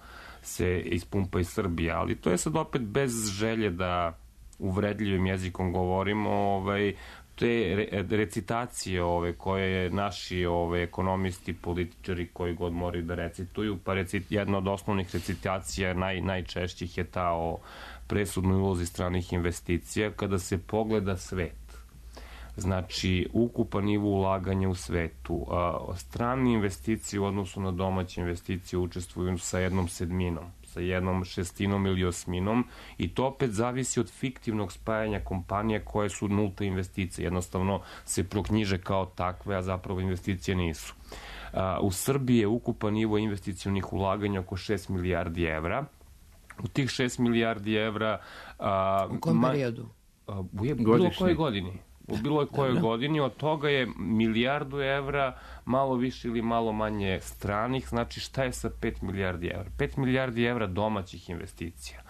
se ispumpa iz Srbije, ali to je sad opet bez želje da uvredljivim jezikom govorimo, ovaj, te re, recitacije ove, koje naši ove, ekonomisti, političari koji god moraju da recituju, pa recit, jedna od osnovnih recitacija naj, najčešćih je ta o presudnoj ulozi stranih investicija. Kada se pogleda svet, znači ukupan nivo ulaganja u svetu, a, strane investicije u odnosu na domaće investicije učestvuju sa jednom sedminom, sa jednom šestinom ili osminom, i to opet zavisi od fiktivnog spajanja kompanija koje su nulta investicije. Jednostavno se proknjiže kao takve, a zapravo investicije nisu. A, u Srbiji je ukupan nivo investicionih ulaganja oko šest milijardi evra. U tih šest milijardi evra... A, u kom periodu? A, u bilo kojoj godini. U bilo kojoj godini, od toga je milijardu evra, malo više ili malo manje stranih. Znači, šta je sa pet milijardi evra? pet milijardi evra domaćih investicija.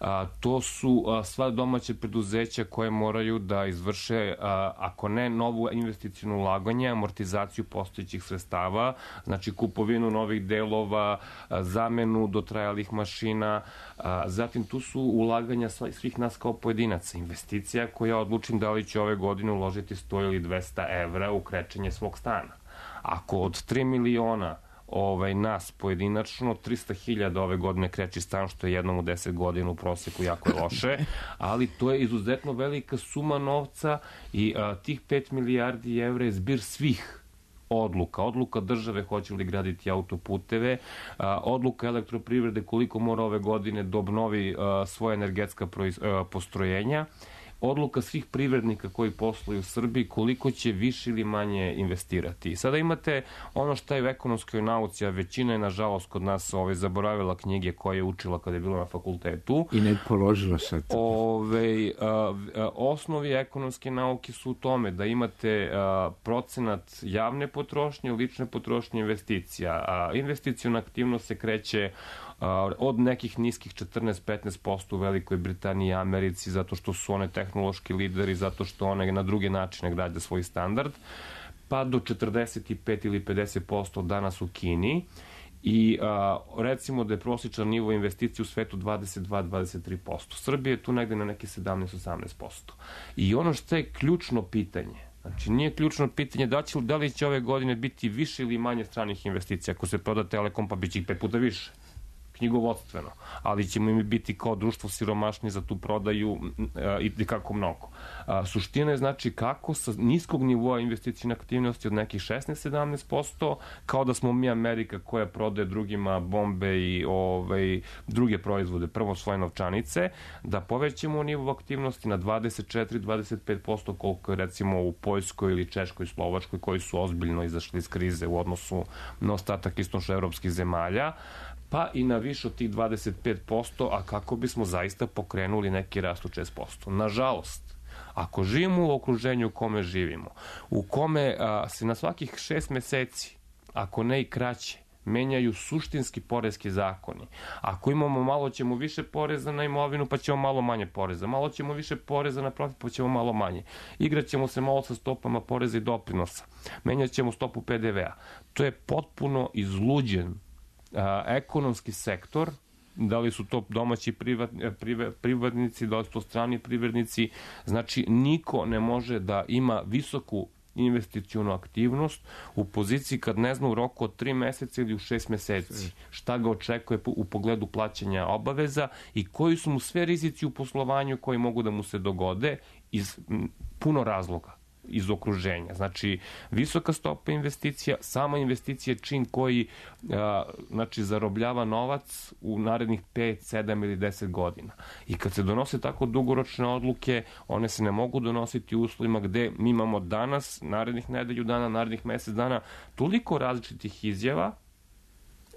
A, to su a, sva domaće preduzeća koje moraju da izvrše, a, ako ne novu investicijnu ulaganje, amortizaciju postojećih sredstava, znači kupovinu novih delova, a, zamenu dotrajalih mašina, a, zatim tu su ulaganja svih nas kao pojedinaca. Investicija koja odlučim da li će ove godine uložiti sto ili dvesta evra u krečenje svog stana. Ako od tri miliona ovaj, nas pojedinačno, trista hiljada ove godine kreći stan, što je jednom u deset godina u proseku jako je loše, ali to je izuzetno velika suma novca i a, tih pet milijardi evra je zbir svih odluka. Odluka države hoće li graditi autoputeve, a, odluka elektroprivrede koliko mora ove godine da obnovi a, svoje energetska proiz, a, postrojenja, odluka svih privrednika koji posluju u Srbiji koliko će više ili manje investirati. Sada imate ono što je u ekonomskoj nauci, a većina je nažalost kod nas ovaj, zaboravila knjige koje je učila kada je bila na fakultetu. I ne položila sad. Ove, a, a, osnovi ekonomske nauke su u tome da imate a, procenat javne potrošnje, lične potrošnje, investicija. A investicijona aktivnost se kreće a, od nekih niskih četrnaest do petnaest posto u Velikoj Britaniji i Americi, zato što su one tehnološki lideri, zato što one na druge načine grade svoj standard, pa do četrdeset pet ili pedeset posto danas u Kini. I a, recimo da je prosječan nivo investicije u svetu dvadeset dva do dvadeset tri posto. Srbija je tu negde na neki sedamnaest do osamnaest posto. I ono što je ključno pitanje, znači nije ključno pitanje da, će, da li će ove godine biti više ili manje stranih investicija. Ako se proda Telekom, pa bit će ih pet puta više, knjigovodstveno, ali ćemo im biti kao društvo siromašni za tu prodaju i kako mnogo. A, suština je znači kako sa niskog nivoa investicijne aktivnosti od nekih šesnaest do sedamnaest posto, kao da smo mi Amerika koja prodaje drugima bombe i ovaj, druge proizvode, prvo svoje novčanice, da povećamo nivo aktivnosti na dvadeset četiri do dvadeset pet posto koliko je recimo u Poljskoj ili Češkoj, Slovačkoj, koji su ozbiljno izašli iz krize u odnosu na ostatak istočnoevropskih zemalja, pa i na više od tih dvadeset pet posto, a kako bismo zaista pokrenuli neki rast od šest posto. Nažalost, ako živimo u okruženju u kome živimo, u kome a, se na svakih šest meseci, ako ne i kraće, menjaju suštinski poreski zakoni. Ako imamo malo, ćemo više poreza na imovinu, pa ćemo malo manje poreza. Malo ćemo više poreza na profit, pa ćemo malo manje. Igraćemo se malo sa stopama poreza i doprinosa. Menjat ćemo stopu pe de vea. To je potpuno izluđen a, ekonomski sektor, da li su to domaći privat, privat, privatnici, da li su to strani privrednici. Znači, niko ne može da ima visoku investicionu aktivnost u poziciji kad ne zna u roku od tri meseca ili u šest meseci šta ga očekuje u pogledu plaćanja obaveza i koji su mu sve rizici u poslovanju koji mogu da mu se dogode iz puno razloga iz okruženja. Znači, visoka stopa investicija, sama investicija čin koji a, znači, zarobljava novac u narednih pet, sedam ili deset godina. I kad se donose tako dugoročne odluke, one se ne mogu donositi u uslovima gde mi imamo danas, narednih nedelju dana, narednih mesec dana, toliko različitih izjava.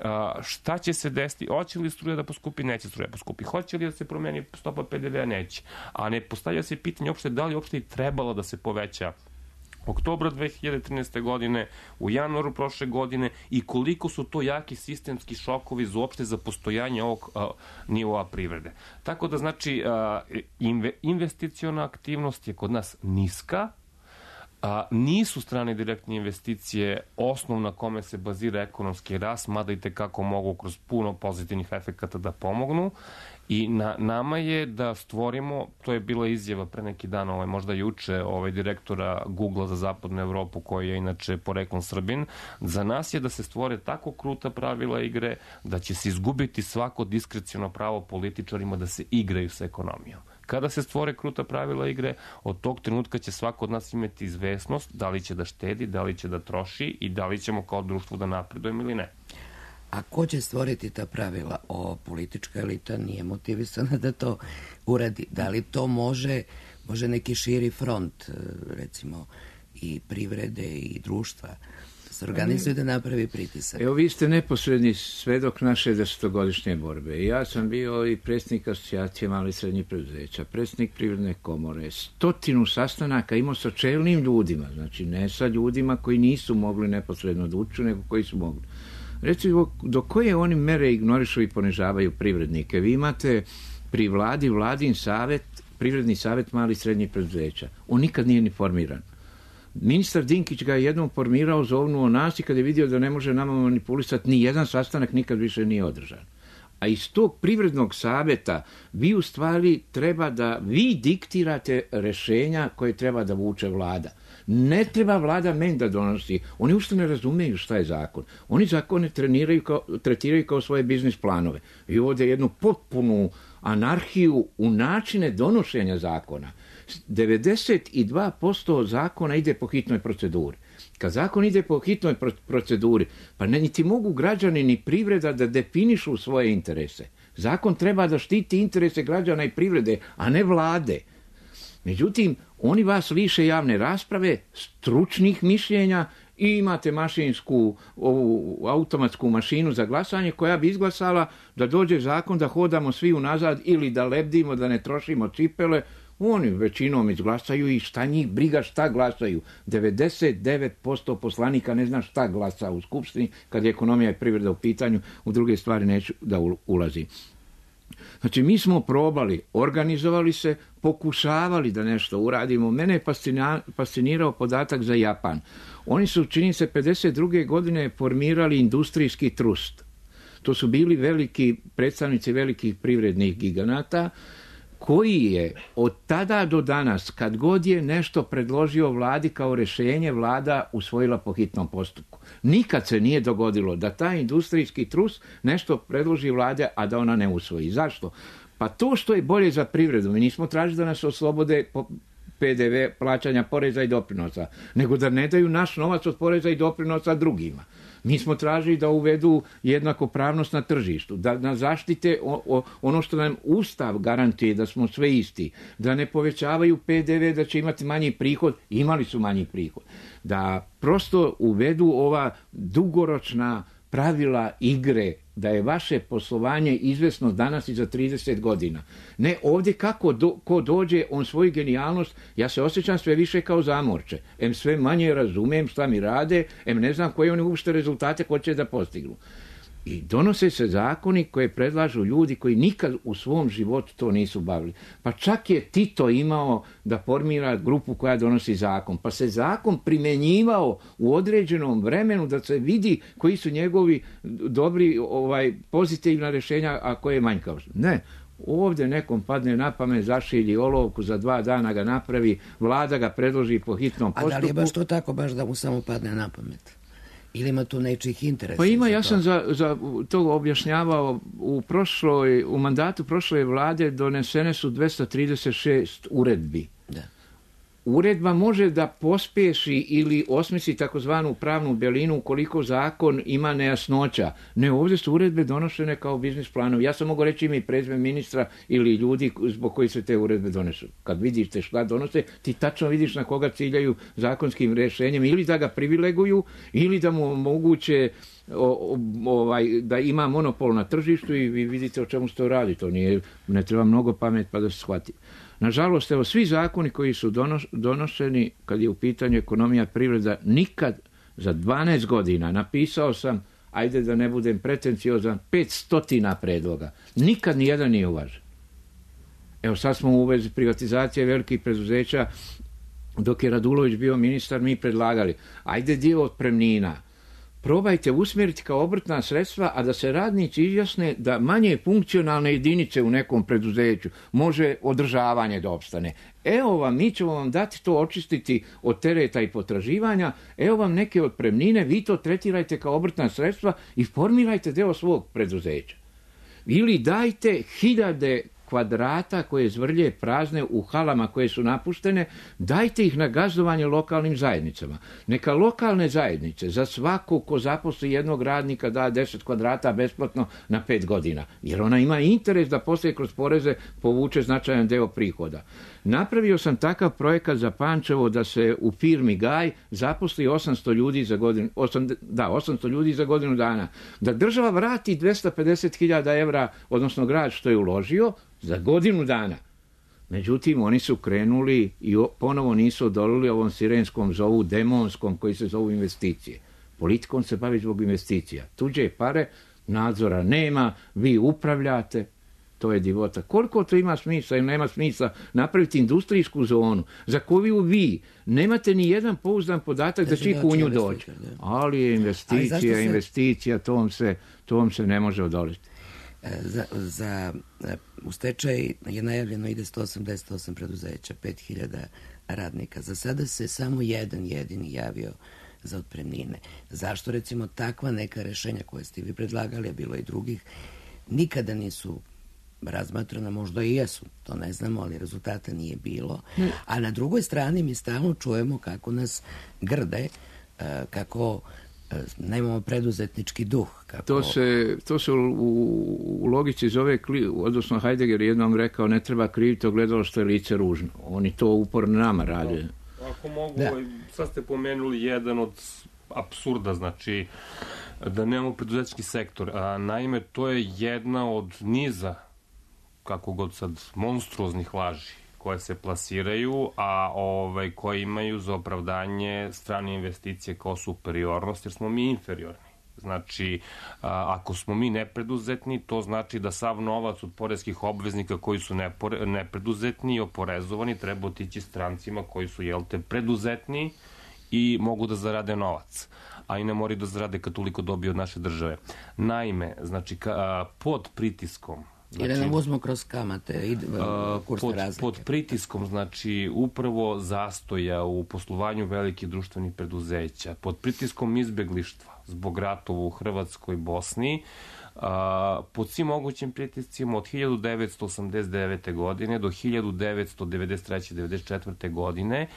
A, šta će se desiti? Hoće li struja da poskupi? Neće struja poskupi. Hoće li da se promeni stopa pe de vea? Neće. A ne postavlja se pitanje uopšte da li uopšte i trebalo da se poveća oktobra dve hiljade trinaeste. godine, u januaru prošle godine i koliko su to jaki sistemski šokovi za uopšte za postojanje ovog a, nivoa privrede. Tako da znači a, inve, investiciona aktivnost je kod nas niska. A, nisu strane direktne investicije osnov na kome se bazira ekonomski rast, mada i tekako mogu kroz puno pozitivnih efekata da pomognu. I na nama je da stvorimo, to je bila izjava pre neki dan, ovaj, možda juče, ovaj, direktora Google za zapadnu Evropu, koji je inače poreklom Srbin, za nas je da se stvore tako kruta pravila igre da će se izgubiti svako diskreciono pravo političarima da se igraju sa ekonomijom. Kada se stvore kruta pravila igre, od tog trenutka će svako od nas imati izvesnost da li će da štedi, da li će da troši i da li ćemo kao društvo da napredujemo ili ne. A ko će stvoriti ta pravila? O, politička elita nije motivisana da to uradi. Da li to može, može neki širi front, recimo, i privrede i društva, se organizuje da napravi pritisak? Evo, vi ste neposredni svedok naše desetogodišnje borbe. Ja sam bio i predsjednik asocijacije malih i srednjih preduzeća, predsjednik Privredne komore, stotinu sastanaka imao sa čelnim ljudima, znači ne sa ljudima koji nisu mogli neposredno da uču, nego koji su mogli. Recimo, do koje oni mere ignorišu i ponižavaju privrednike? Vi imate pri vladi vladin savet, privredni savet malih i srednjih preduzeća. On nikad nije ni formiran. Ministar Dinkić ga je jednom formirao, zovnuo nas i kad je vidio da ne može nama manipulisati, ni jedan sastanak nikad više nije održan. A iz tog privrednog saveta vi u stvari treba da vi diktirate rešenja koje treba da vuče vlada. Ne treba vlada meni da donosi. Oni uopšte ne razumeju šta je zakon. Oni zakone treniraju kao, tretiraju kao svoje biznis planove. I ovdje jednu potpunu anarhiju u načine donošenja zakona. devedeset dva posto zakona ide po hitnoj proceduri. Kad zakon ide po hitnoj proceduri, pa ne niti mogu građani ni privreda da definišu svoje interese. Zakon treba da štiti interese građana i privrede, a ne vlade. Međutim, oni vas liše javne rasprave, stručnih mišljenja i imate mašinsku, ovu automatsku mašinu za glasanje koja bi izglasala da dođe zakon da hodamo svi unazad ili da lebdimo, da ne trošimo cipele. Oni većinom izglasaju i šta njih briga šta glasaju. devedeset devet posto poslanika ne zna šta glasa u Skupštini kad je ekonomija i privreda u pitanju, u druge stvari neću da ulazim. Znači, mi smo probali, organizovali se, pokušavali da nešto uradimo. Mene je fascinirao podatak za Japan. Oni su, čini se, pedeset druge godine formirali industrijski trust. To su bili veliki predstavnici velikih privrednih giganata, koji je od tada do danas, kad god je nešto predložio vladi kao rješenje, vlada usvojila po hitnom postupku. Nikad se nije dogodilo da taj industrijski trust nešto predloži vlade, a da ona ne usvoji. Zašto? Pa to što je bolje za privredu. Mi nismo tražili da nas oslobode P D V plaćanja poreza i doprinosa, nego da ne daju naš novac od poreza i doprinosa drugima. Mi smo tražili da uvedu jednakopravnost na tržištu, da nas zaštite o, o, ono što nam Ustav garantuje, da smo sve isti, da ne povećavaju P D V, da će imati manji prihod, imali su manji prihod, da prosto uvedu ova dugoročna pravila igre, da je vaše poslovanje izvesno danas i za trideset godina. Ne, ovdje kako do, ko dođe, on svoju genijalnost, ja se osjećam sve više kao zamorče. Em sve manje razumem šta mi rade, em ne znam koje oni uopšte rezultate hoće da postignu. I donose se zakoni koje predlažu ljudi koji nikad u svom životu to nisu bavili. Pa čak je Tito imao da formira grupu koja donosi zakon. Pa se zakon primjenjivao u određenom vremenu da se vidi koji su njegovi dobri, ovaj, pozitivna rješenja, a koje je manjkavost. Ne. Ovdje nekom padne na pamet, zašilji olovku, za dva dana ga napravi, vlada ga predloži po hitnom postupku. A da li je baš to tako, baš da mu samo padne na pamet? Ili ima tu nečih interesa? Pa ima, ja sam za, za to objašnjavao u prošloj, u mandatu prošle vlade donesene su dvesta trideset šest uredbi. Da. Uredba može da pospješi ili osmisli takozvanu pravnu belinu ukoliko zakon ima nejasnoća. Ne, ovdje su uredbe donošene kao biznis planovi. Ja sam mogu reći ime i prezime ministra ili ljudi zbog koji se te uredbe donesu. Kad vidiš te šta donose, ti tačno vidiš na koga ciljaju zakonskim rješenjem, ili da ga privileguju, ili da mu omoguće o, ovaj, da ima monopol na tržištu i vi vidite o čemu se to radi. To nije, ne treba mnogo pamet pa da se shvati. Nažalost, evo, svi zakoni koji su donošeni kad je u pitanju ekonomija, privreda, nikad za dvanaest godina, napisao sam, ajde da ne budem pretenciozan, petstotina predloga. Nikad nijedan nije uvažen. Evo, sad smo u vezi privatizacije velikih preduzeća, dok je Radulović bio ministar, mi predlagali, ajde dio otpremnina, probajte usmjeriti kao obrtna sredstva, a da se radnici izjasne da manje funkcionalne jedinice u nekom preduzeću može održavanje da opstane. Evo vam, mi ćemo vam dati to očistiti od tereta i potraživanja, evo vam neke otpremnine, vi to tretirajte kao obrtna sredstva i formirajte deo svog preduzeća. Ili dajte hiljade kvadrata koje zvrlje prazne u halama koje su napuštene, dajte ih na gazdovanje lokalnim zajednicama. Neka lokalne zajednice za svakog ko zaposli jednog radnika da deset kvadrata besplatno na pet godina, jer ona ima interes da poslije kroz poreze povuče značajan deo prihoda. Napravio sam takav projekat za Pančevo da se u firmi Gaj zaposli osamsto ljudi za godinu, osam, da, osamsto ljudi za godinu dana. Da država vrati dvesta pedeset hiljada evra, odnosno grad što je uložio, za godinu dana. Međutim, oni su krenuli i ponovo nisu odolili ovom sirenskom zovu, demonskom, koji se zovu investicije. Politikom se bavi zbog investicija. Tuđe pare, nadzora nema, vi upravljate, to je divota. Koliko to ima smisla ili nema smisla napraviti industrijsku zonu za koju vi nemate ni jedan pouzdan podatak da će iko u nju doći. Ali je investicija, se... investicija, to vam se, to vam se ne može odoliti. Za, za, u stečaj je najavljeno ide sto osamdeset osam preduzeća, pet hiljada radnika. Za sada se samo jedan jedini javio za otpremnine. Zašto recimo takva neka rešenja koje ste vi predlagali, a bilo i drugih, nikada nisu razmatrana, možda i jesu, to ne znamo, ali rezultata nije bilo. A na drugoj strani mi stalno čujemo kako nas grde, kako nemamo preduzetnički duh. Kako... To se, to se u, u logici zove, odnosno Heidegger jednom rekao, ne treba kriviti ogledalo što je lice ružno. Oni to uporno nama rade. Ako mogu, da. Sad ste pomenuli jedan od apsurda, znači da nemamo preduzetnički sektor. A, naime, to je jedna od niza, kako god sad, monstruoznih laži koje se plasiraju, a ovaj, koje imaju za opravdanje strane investicije kao superiornost, jer smo mi inferiorni. Znači, a, ako smo mi nepreduzetni, to znači da sav novac od poreskih obveznika koji su nepore, nepreduzetni i oporezovani treba otići strancima koji su, jel te, preduzetni i mogu da zarade novac, a i ne moraju da zarade kad toliko dobiju od naše države. Naime, znači, ka, a, pod pritiskom, Znači, jer nam uzmo kroz kamate i kursne pod, razlike. Pod pritiskom, znači, upravo zastoja u poslovanju velikih društvenih preduzeća, pod pritiskom izbeglištva zbog ratova u Hrvatskoj i Bosni, a, pod svim mogućim pritiscima od hiljadu devetsto osamdeset devete. godine do hiljadu devetsto devedeset treće devedeset četvrte. godine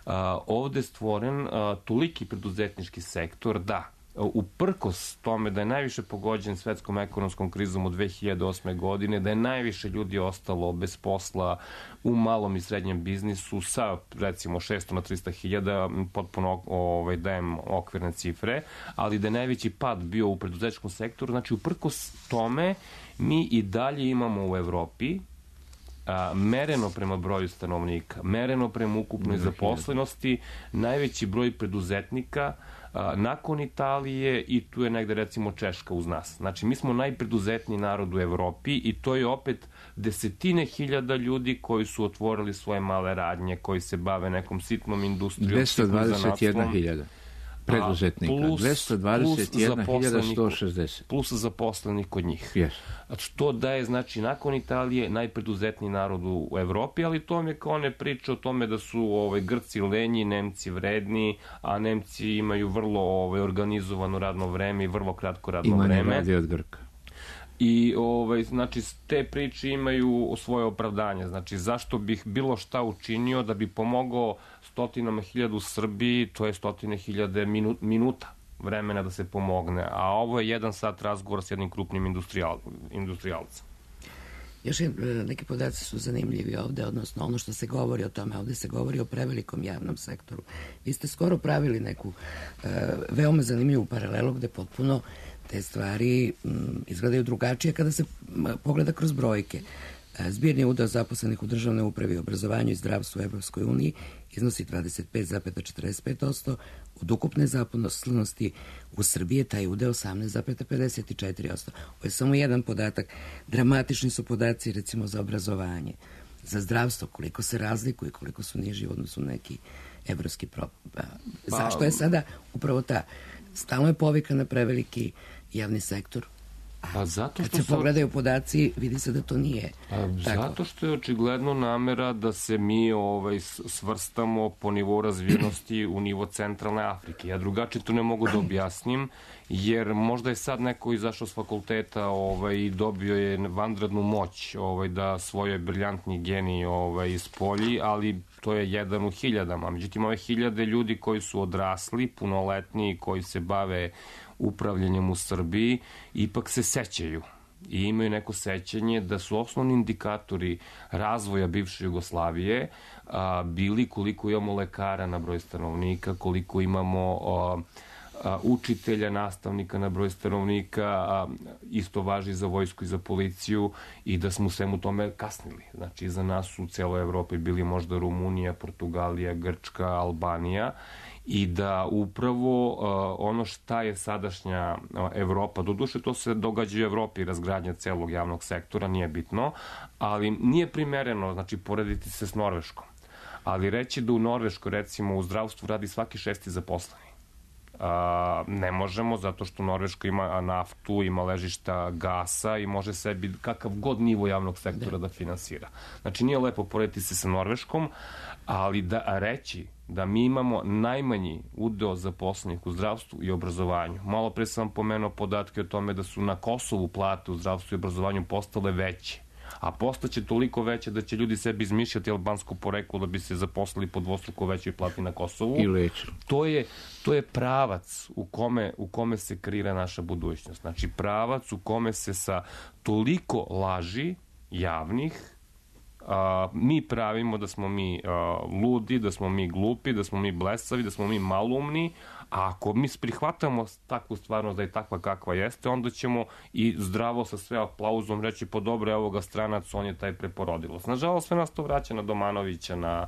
a, ovde je stvoren a, toliki preduzetnički sektor da uprkos tome da je najviše pogođen svetskom ekonomskom krizom od dve hiljade osme. godine, da je najviše ljudi ostalo bez posla u malom i srednjem biznisu sa recimo šesto na trista hiljada, potpuno ovaj, dajem okvirne cifre, ali da je najveći pad bio u preduzetničkom sektoru. Znači, uprkos tome mi i dalje imamo u Evropi a, mereno prema broju stanovnika, mereno prema ukupnoj zaposlenosti, najveći broj preduzetnika a, nakon Italije i tu je negde recimo Češka uz nas. Znači, mi smo najpreduzetniji narod u Evropi i to je opet desetine hiljada ljudi koji su otvorili svoje male radnje, koji se bave nekom sitnom industrijom. dvesta dvadeset jedna hiljada preduzetnika. Plus, dvesta dvadeset jedna hiljada sto šezdeset. Plus zaposlenih kod njih. Yes. To daje, znači, nakon Italije najpreduzetniji narod u Evropi, ali to mi je kao ne priča o tome da su ovaj, Grci lenji, Nemci vredni, a Nemci imaju vrlo ovaj, organizovano radno vreme i vrlo kratko radno Ima vreme. Ima ne radi od Grka. I, ovaj, znači, te priče imaju svoje opravdanje. Znači, zašto bih bilo šta učinio da bi pomogao stotinama hiljada u Srbiji, to je stotine hiljade minu, minuta vremena da se pomogne. A ovo je jedan sat razgovora s jednim krupnim industrijal, industrijalcem. Još je, neki podaci su zanimljivi ovde, odnosno ono što se govori o tome, ovde se govori o prevelikom javnom sektoru. Vi ste skoro pravili neku e, veoma zanimljivu paralelu gde potpuno te stvari m, izgledaju drugačije kada se m, pogleda kroz brojke. E, zbirni udeo zaposlenih u državnoj upravi, obrazovanju i zdravstvu u Evropskoj uniji iznosi dvadeset pet zarez četrdeset pet posto, od ukupne zaposlenosti u Srbiji je taj udeo osamnaest zarez pedeset četiri posto. Ovo je samo jedan podatak. Dramatični su podaci recimo za obrazovanje, za zdravstvo, koliko se razlikuju i koliko su niži u odnosu na neki evropski pro... Pa, zašto je sada upravo ta? Stalno je povika na preveliki javni sektor. Pa zato što kad se sam... pogledaju podaci, vidi se da to nije pa, tako. Zato što je očigledno namera da se mi ovaj, svrstamo po nivou razvijenosti u nivo centralne Afrike. Ja drugačije to ne mogu da objasnim, jer možda je sad neko izašao s fakulteta ovaj, i dobio je vanrednu moć ovaj, da svoje briljantni genij ovaj, ispolji, ali to je jedan u hiljadama. Međutim, ove hiljade ljudi koji su odrasli, punoletni, koji se bave upravljanjem u Srbiji, ipak se sećaju i imaju neko sećanje da su osnovni indikatori razvoja bivše Jugoslavije a, bili koliko imamo lekara na broj stanovnika, koliko imamo a, a, učitelja, nastavnika na broj stanovnika, a, isto važi za vojsku i za policiju, i da smo u svemu tome kasnili. Znači, za nas u celoj Evropi bili možda Rumunija, Portugalija, Grčka, Albanija, i da upravo uh, ono šta je sadašnja uh, Evropa, doduše to se događa u Evropi, razgradnja celog javnog sektora, nije bitno, ali nije primereno, znači, porediti se s Norveškom. Ali reći da u Norveškoj, recimo, u zdravstvu radi svaki šesti zaposleni. Uh, ne možemo, zato što Norveška ima naftu, ima ležišta gasa i može sebi kakav god nivo javnog sektora da, da finansira. Znači, nije lepo porediti se sa Norveškom, ali da reći da mi imamo najmanji udeo zaposlenih u zdravstvu i obrazovanju. Malo pre sam pomenuo podatke o tome da su na Kosovu plate u zdravstvu i obrazovanju postale veće, a postaće toliko veće da će ljudi sebi izmišljati albansko poreklo da bi se zaposlili po dvostruko većoj plati na Kosovu. I leći. To je, to je pravac u kome, u kome se kreira naša budućnost. Znači, pravac u kome se sa toliko laži javnih a, mi pravimo da smo mi a, ludi, da smo mi glupi, da smo mi blesavi, da smo mi malumni, a ako mi prihvatamo takvu stvarnost da je takva kakva jeste, onda ćemo i zdravo sa sve aplauzom reći po dobro je ovoga stranac, on je taj preporodilac. Nažalost, sve nas to vraća na Domanovića, na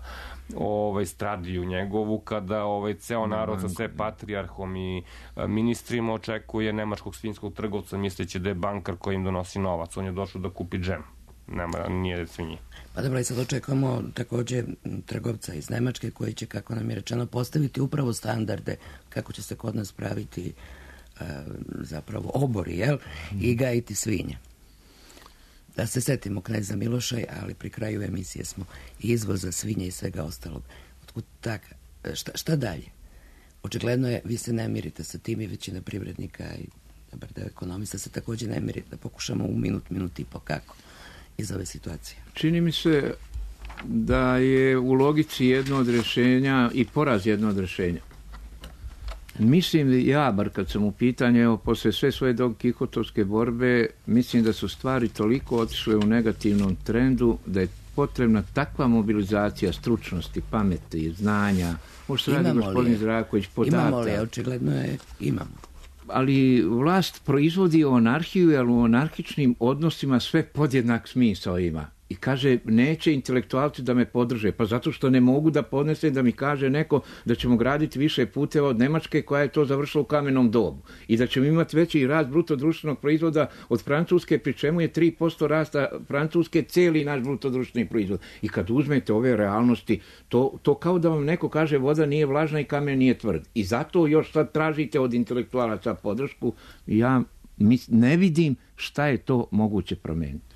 ovaj, Stradiju njegovu, kada ovaj, ceo narod sa sve patrijarhom i ministrima očekuje nemačkog svinjskog trgovca misleći da je bankar koji im donosi novac. On je došao da kupi džem. Nema, nije svinji. Pa dobro, i sad očekujemo takođe trgovca iz Nemačke koji će, kako nam je rečeno, postaviti upravo standarde kako će se kod nas praviti e, zapravo obori, jel? I gajiti svinje. Da se setimo kneza Miloša, ali pri kraju emisije smo izvoza svinje i svega ostalog. Otkud tak? Šta, šta dalje? Očigledno je, vi se ne mirite sa tim i većina privrednika i dobar deo ekonomista se takođe ne mirite. Da pokušamo u minut, minut i po kako iz ove situacije. Čini mi se da je u logici jedno od rješenja i poraz jedno od rješenja. Mislim, ja, bar kad sam u pitanju, evo, posle sve svoje Don Kihotovske borbe, mislim da su stvari toliko otišle u negativnom trendu da je potrebna takva mobilizacija stručnosti, pameti, znanja. Možda se radi gospodin Zdravković podata. Imamo li, očigledno je, imamo. Ali vlast proizvodi anarhiju, jer u anarhičnim odnosima sve podjednak smisao ima. I kaže, neće intelektualci da me podrže, pa zato što ne mogu da podnese da mi kaže neko da ćemo graditi više puteva od Nemačke koja je to završila u kamenom dobu. I da ćemo imati veći rast bruto društvenog proizvoda od Francuske, pri čemu je tri posto rasta Francuske cijeli naš bruto društveni proizvod. I kad uzmete ove realnosti, to, to kao da vam neko kaže voda nije vlažna i kamen nije tvrd. I zato još sad tražite od intelektualaca podršku. Ja ne vidim šta je to moguće promeniti.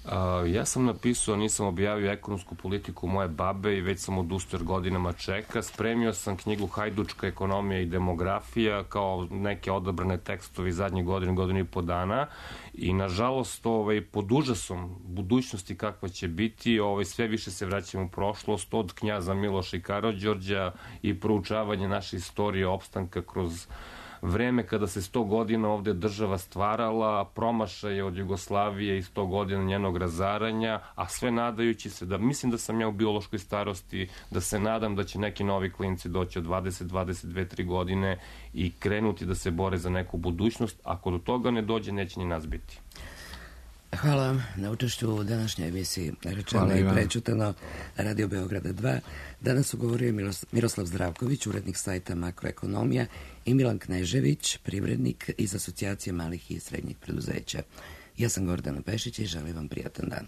Uh, ja sam napisao, nisam objavio ekonomsku politiku moje babe i već sam odustao jer godinama čeka. Spremio sam knjigu Hajdučka ekonomija i demografija kao neke odabrane tekstovi zadnjih godina, godinu i po dana i nažalost ovaj, pod užasom budućnosti kakva će biti, ovaj, sve više se vraćamo u prošlost od knjaza Miloša i Karađorđa i proučavanje naše istorije opstanka kroz vreme kada se sto godina ovde država stvarala, promašaje od Jugoslavije i sto godina njenog razaranja, a sve nadajući se da, mislim da sam ja u biološkoj starosti, da se nadam da će neki novi klinci doći od dvadeset, dvadeset dve, tri godine i krenuti da se bore za neku budućnost. Ako do toga ne dođe, neće ni nas biti. Hvala vam na učešću u današnjoj emisiji Rečeno i prećutano Radio Beograda dva. Danas su govorio Miroslav Zdravković, urednik sajta Makroekonomija, i Milan Knežević, privrednik iz Asocijacije malih i srednjih preduzeća. Ja sam Gordana Pešić i želim vam prijatan dan.